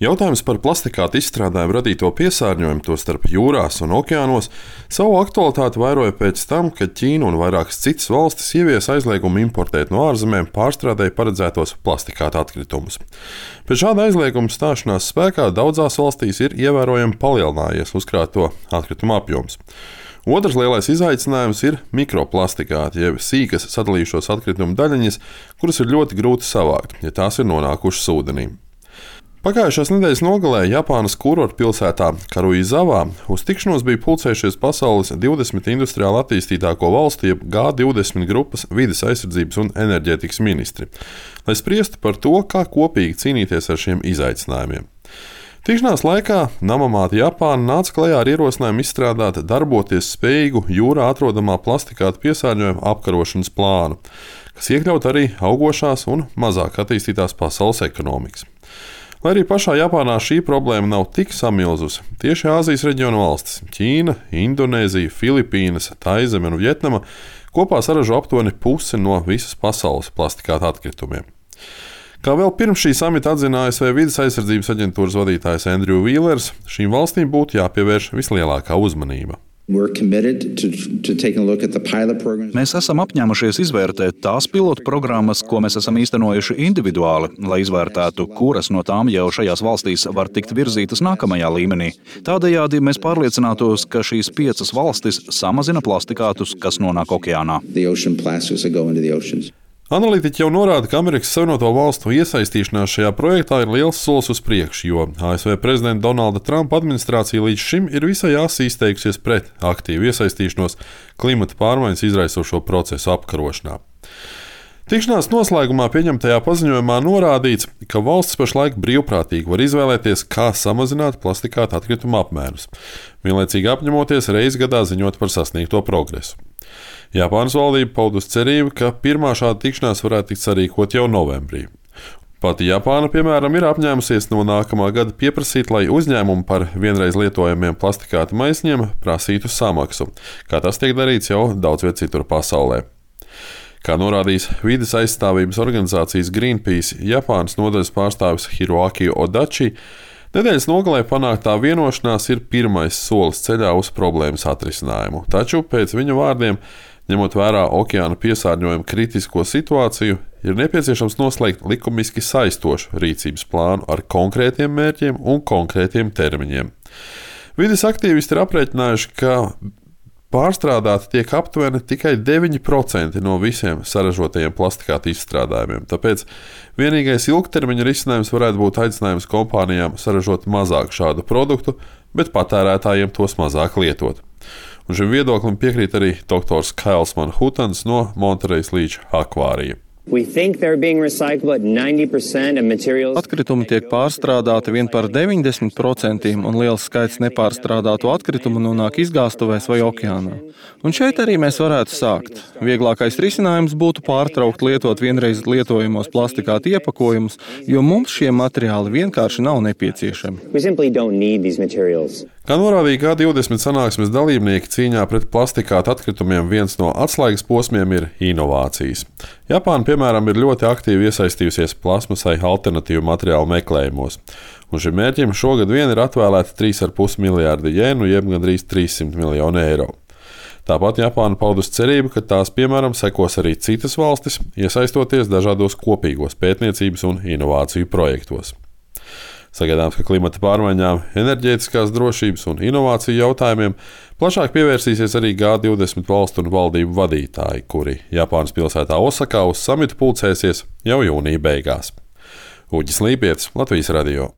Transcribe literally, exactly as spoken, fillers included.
Jautājums par plastikāta izstrādājumu radīto piesārņojumu, tostarp jūrās un okeānos, savu aktualitāti vairoja pēc tam, kad Ķīna un vairākas citas valstis ieviesa aizliegumu importēt no ārzemēm pārstrādei paredzētos plastikāta atkritumus. Pēc šāda aizlieguma stāšanās spēkā daudzās valstīs ir ievērojami palielinājies uzkrāto atkritumu apjoms. Otrs lielais izaicinājums ir mikroplastikāti, jeb sīkas sadalījušos atkritumu daļiņas, kuras ir ļoti grūti savākt, ja tās ir nonākušas ūdenī. Pagājušās nedēļas nogalē Japānas kurortu pilsētā Karuizavā uz tikšanos bija pulcējušies pasaules divdesmit industriāli attīstītāko valstu, jeb G divdesmit grupas vides aizsardzības un enerģētikas ministri, lai spriestu par to, kā kopīgi cīnīties ar šiem izaicinājumiem. Tikšanās laikā Namamāte Japāna nāca klajā ar ierosinājumu izstrādāt darboties spējīgu jūrā atrodamā plastikāta piesārņojuma apkarošanas plānu, kas iekļaut arī augošās un mazāk attīstītās pasaules ekonomikas. Lai arī pašā Japānā šī problēma nav tik samilzusi, tieši Āzijas reģiona valstis – Ķīna, Indonēzija, Filipīnas, Taizeme un Vjetnama – kopā saražo aptuveni pusi no visas pasaules plastikāta atkritumiem. Kā vēl pirms šī samita atzina A S V vides aizsardzības aģentūras vadītājs Andrew Wheelers, šīm valstīm būtu jāpievērš vislielākā uzmanība. Mēs esam apņēmušies izvērtēt tās pilotu programmas, ko mēs esam īstenojuši individuāli, lai izvērtētu, kuras no tām jau šajās valstīs var tikt virzītas nākamajā līmenī. Tādējādi mēs pārliecinātos, ka šīs piecas valstis samazina plastikātus, kas nonāk okeānā. Analītiķi jau norāda, ka Amerikas Savienoto Valstu iesaistīšanās šajā projektā ir liels solis uz priekšu, jo A S V prezidenta Donalda Trumpa administrācija līdz šim ir visai asi izteikusies pret aktīvu iesaistīšanos klimata pārmaiņas izraisošo procesu apkarošanā. Tikšanās noslēgumā pieņemtajā paziņojumā norādīts, ka valsts pašlaik brīvprātīgi var izvēlēties, kā samazināt plastikāta atkritumu apmērus, vienlaicīgi apņemoties reizi gadā ziņot par sasniegto progresu. Japānas valdība paudusi cerību, ka pirmā šāda tikšanās varētu tikt sarīkot jau novembrī. Pati Japāna, piemēram, ir apņēmusies no nākamā gada pieprasīt, lai uzņēmumi par vienreiz lietojamiem plastikāta maisiņiem prasītu samaksu, kā tas tiek darīts jau daudz viet citur pasaulē. Kā norādījis vides aizstāvības organizācijas Greenpeace Japānas nodaļas pārstāvis Hiroaki Odachi, nedēļas nogalē panāktā vienošanās ir pirmais solis ceļā uz problēmas atrisinājumu, taču pēc viņa vārdiem, ņemot vērā okeāna piesārņojuma kritisko situāciju, ir nepieciešams noslēgt likumiski saistošu rīcības plānu ar konkrētiem mērķiem un konkrētiem termiņiem. Vides aktīvisti ir aprēķinājuši, ka pārstrādāti tiek aptuveni tikai deviņi procenti no visiem saražotajiem plastikāta izstrādājumiem, tāpēc vienīgais ilgtermiņa risinājums varētu būt aicinājums kompānijām saražot mazāk šādu produktu, bet patērētājiem tos mazāk lietot. Un šim viedoklim piekrīt arī doktors Kails Manhutans no Monterejas līča akvārija. Atkritumi tiek pārstrādāti vien par deviņdesmit procentiem, un liels skaits nepārstrādātu atkritumu nonāk izgāstuvēs vai okeānā. Un šeit arī mēs varētu sākt. Vieglākais risinājums būtu pārtraukt lietot vienreiz lietojamos plastikāta iepakojumus, jo mums šie materiāli vienkārši nav nepieciešami. Kā norādīja G divdesmit sanāksmes dalībnieki cīņā pret plastikāta atkritumiem, viens no atslēgas posmiem ir inovācijas. Japāna, piemēram, ir ļoti aktīvi iesaistījusies plasmasai alternatīvu materiālu meklējumos, un šim mērķim šogad vien ir atvēlēta trīs ar pus miljārdi jenu, jeb gandrīz trīssimt miljoni eiro. Tāpat Japāna paudus cerību, ka tās, piemēram, sekos arī citas valstis, iesaistoties dažādos kopīgos pētniecības un inovāciju projektos. Sagaidāms, ka klimata pārmaiņām, enerģētiskās drošības un inovāciju jautājumiem plašāk pievērsīsies arī G divdesmit valstu un valdību vadītāji, kuri Japānas pilsētā Osakā uz samitu pulcēsies jau jūnija beigās. Uģis Līpietis, Latvijas radio.